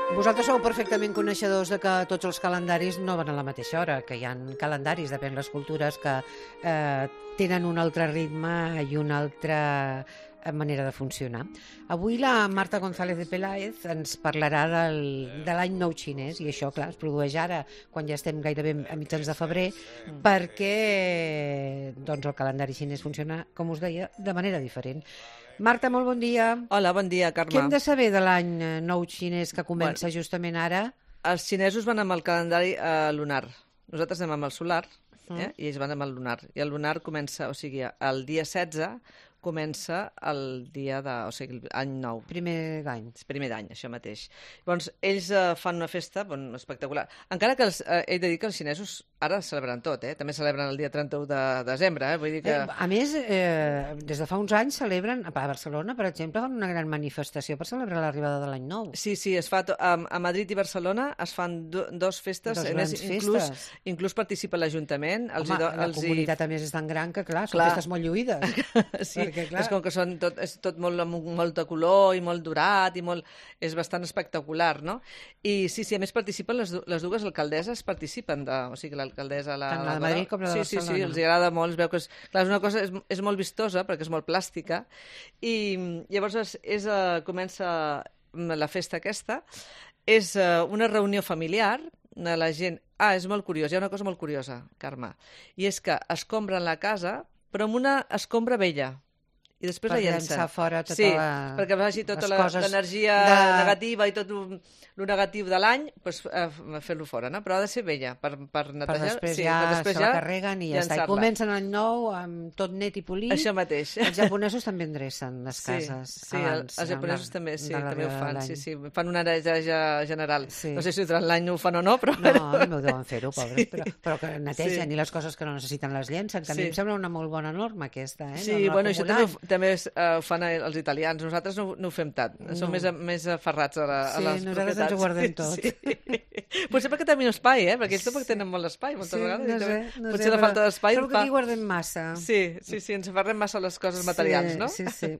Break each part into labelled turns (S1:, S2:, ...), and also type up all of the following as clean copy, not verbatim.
S1: Vosaltres sou perfectament coneixedors de que tots els calendaris no van a la mateixa hora, que hi ha calendaris, depèn les cultures, que tenen un altre ritme i una altra manera de funcionar. Avui la Marta González de Peláez ens parlarà de l'any nou xinès, i això, clar, es produeix ara, quan ja estem gairebé a mitjans de febrer, perquè doncs, el calendari xinès funciona, com us deia, de manera diferent. Marta, molt bon dia.
S2: Hola, bon dia, Carme.
S1: Què hem de saber de l'any nou xinès que comença justament ara?
S2: Els xinesos van amb el calendari lunar. Nosaltres anem amb el solar, i ells van amb el lunar. I el lunar comença, o sigui, el dia 16 comença el dia de... o sigui, l'any nou.
S1: Primer d'any.
S2: Primer d'any, això mateix. Llavors, ells fan una festa espectacular. Encara que he de dir que els xinesos ara celebren tot, també celebren el dia 31 de desembre, vull dir que...
S1: A més, des de fa uns anys celebren, a Barcelona, per exemple, fan una gran manifestació per celebrar l'arribada de l'any nou.
S2: Sí, es fa a Madrid i Barcelona es fan dos festes.
S1: Dos grans festes.
S2: Inclús participa l'Ajuntament.
S1: Home, la comunitat, a més, és tan gran que, clar, són festes molt lluïdes.
S2: Sí, perquè, clar... és com que és tot molt de color i molt dorat i és bastant espectacular, no? I sí, a més participen les dues alcaldesses, participen, o sigui, l'alcaldessa...
S1: Tant la de Madrid com la de Barcelona.
S2: Sí, els agrada molt, es veu que és una cosa, és molt vistosa perquè és molt plàstica, i llavors comença la festa aquesta, és una reunió familiar, la gent... és molt curiós, hi ha una cosa molt curiosa, Carme, i és que escombren la casa, però amb una escombra vella, i després la llencen.
S1: Per llençar fora tota
S2: perquè vagi tota l'energia negativa i tot el negatiu de l'any, fer-lo fora, no? Però ha de ser vella, per netejar.
S1: Per després ja se la carreguen i ja està. I comencen l'any nou amb tot net i polit.
S2: Això mateix.
S1: Els japonesos també endrecen les cases.
S2: Sí, els japonesos també ho fan. Sí, fan una neteja general. No sé si durant l'any ho fan o no, però...
S1: No, no deuen fer-ho, pobres, però que netegen, i les coses que no necessiten les llencen, que a mi em sembla una molt bona norma, aquesta.
S2: Sí, bueno, això també ho fan els italians. Nosaltres no ho fem tant. Som més aferrats a les propietats.
S1: Sí, nosaltres ens ho guardem tot.
S2: Potser perquè tenen espai, perquè ells tampoc tenen molt espai, moltes vegades.
S1: No sé.
S2: Potser la falta d'espai...
S1: Trobo que aquí guardem massa.
S2: Sí, ens aferrem massa a les coses materials, no?
S1: Sí.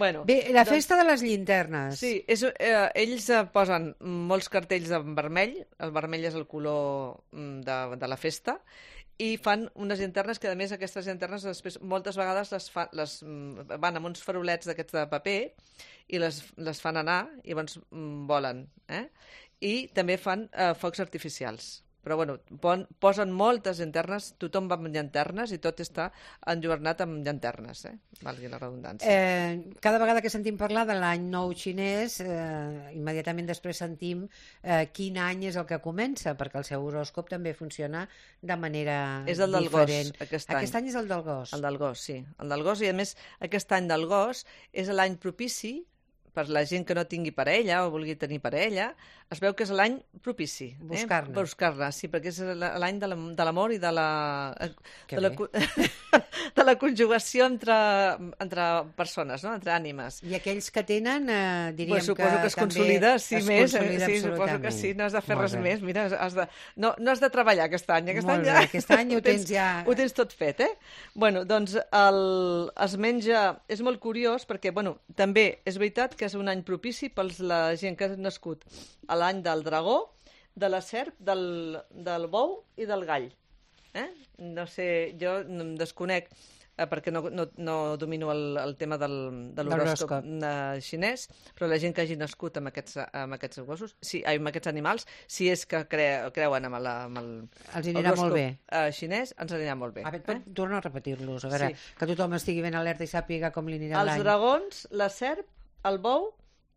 S2: Bé,
S1: la festa de les llinternes.
S2: Sí, ells posen molts cartells en vermell. El vermell és el color de la festa, i fan unes llanternes que, a més, aquestes llanternes després moltes vegades van amb uns farolets d'aquests de paper i les fan anar i llavors volen. I també fan focs artificials. Però, bueno, posen moltes llanternes, tothom va amb llanternes i tot està enlluernat amb llanternes, valgui la redundància.
S1: Cada vegada que sentim parlar de l'any nou xinès, immediatament després sentim quin any és el que comença, perquè el seu horòscop també funciona de manera diferent.
S2: És el del gos, aquest any.
S1: Aquest any és el del gos.
S2: El del gos, sí. El del gos, i a més, aquest any del gos és l'any propici per la gent que no tingui parella o vulgui tenir parella, es veu que és l'any propici. Buscar-la, sí, perquè és l'any de l'amor i de la conjugació entre persones, no? Entre ànimes.
S1: I aquells que tenen, diríem que
S2: suposo que es consolida, sí, més.
S1: Sí,
S2: suposo que sí, no has de fer res més. Mira, no has de treballar aquest any.
S1: Aquest any ho tens ja...
S2: Ho tens tot fet, Bueno, doncs es menja... És molt curiós perquè, bueno, també és veritat que és un any propici per la gent que ha nascut a l'any del dragó, de la serp, del bou i del gall. No sé, jo em desconec perquè no domino el tema de l'horòscop xinès, però la gent que hagi nascut amb aquests gossos, amb aquests animals, si és que creuen amb l'horòscop xinès, ens anirà molt bé.
S1: Torna a repetir-los, a veure, que tothom estigui ben alerta i sàpiga com li anirà l'any.
S2: Els dragons, la serp, el bou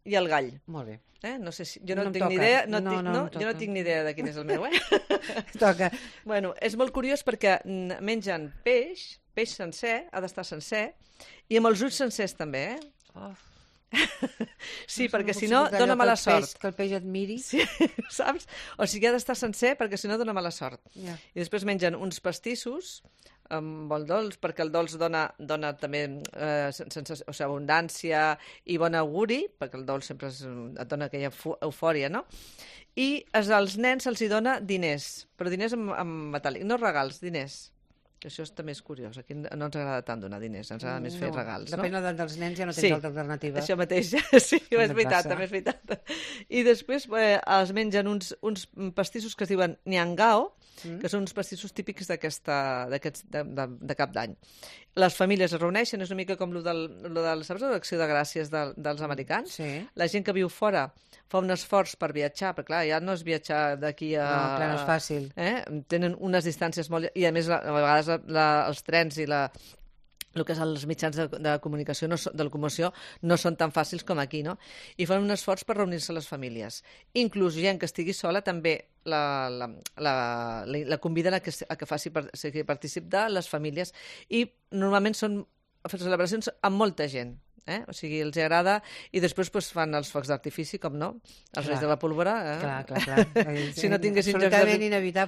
S2: i el gall.
S1: Molt bé.
S2: No sé si... Jo no tinc ni idea... Jo no tinc ni idea de quin és el meu,
S1: Toca.
S2: Bueno, és molt curiós perquè mengen peix sencer, ha d'estar sencer, i amb els ulls sencers també, Sí, perquè si no dona mala sort.
S1: Que el peix et miri.
S2: Sí, saps? O sigui, ha d'estar sencer perquè si no dona mala sort. I després mengen uns pastissos amb el dolç, perquè el dolç dona també abundància i bon auguri, perquè el dolç sempre et dona aquella eufòria, no? I als nens se'ls dona diners, però diners en metàl·lic, no regals, diners. Això també és curiós. Aquí no ens agrada tant donar diners, ens agrada més fer regals, no?
S1: Depèn de l'edat dels nens, ja no tens altra alternativa.
S2: Això mateix, sí, és veritat, també és veritat. I després es mengen uns pastissos que es diuen niangao, que són uns pastissos típics de cap d'any. Les famílies es reuneixen, és una mica com saps, l'acció de gràcies dels americans?
S1: Sí.
S2: La gent que viu fora fa un esforç per viatjar, perquè clar, ja no és viatjar d'aquí a...
S1: No, clar, no és fàcil.
S2: Tenen unes distàncies molt... I a més, a vegades els trens i el que són els mitjans de comunicació, de locomoció, no són tan fàcils com aquí, no? I fan un esforç per reunir-se les famílies. Inclús gent que estigui sola també la conviden a que faci partícip de les famílies. I normalment són celebracions amb molta gent. O sigui, els agrada, i després fan els focs d'artifici, com no? Els Reis de la Pólvora.
S1: Clar.
S2: Si no tinguessin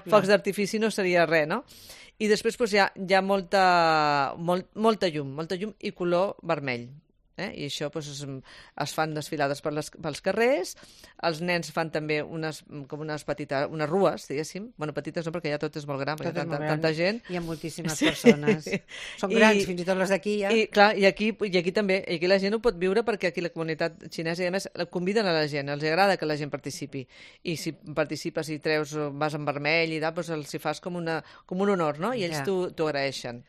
S1: focs
S2: d'artifici no seria res, no? I després hi ha molta llum i color vermell. I això es fan desfilades pels carrers, els nens fan també unes rues, diguéssim, bueno, petites no, perquè ja tot és molt gran, perquè hi ha tanta gent.
S1: Hi ha moltíssimes persones. Són grans, fins i tot les d'aquí ja.
S2: I aquí també, i aquí la gent ho pot viure perquè aquí la comunitat xinesa, i a més, conviden a la gent, els agrada que la gent participi. I si participes i vas en vermell i doncs els hi fas com un honor, no? I ells t'ho agraeixen.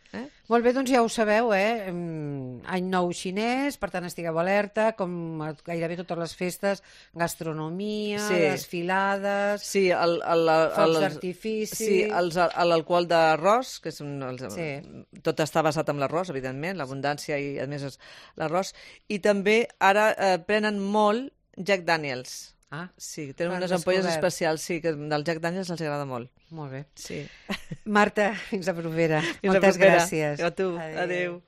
S1: Molt bé, doncs ja ho sabeu, any nou xinès, per tant estigueu alerta, com gairebé totes les festes, gastronomia, desfilades, focs d'artifici...
S2: Sí, l'alcohol d'arròs, que tot està basat en l'arròs, evidentment, l'abundància i, a més, l'arròs, i també ara prenen molt Jack Daniels. Sí, tenen unes ampolles especials, sí, que del Jack Daniels els agrada molt.
S1: Molt bé.
S2: Sí.
S1: Marta, fins la propera. Moltes gràcies.
S2: A tu. Adéu.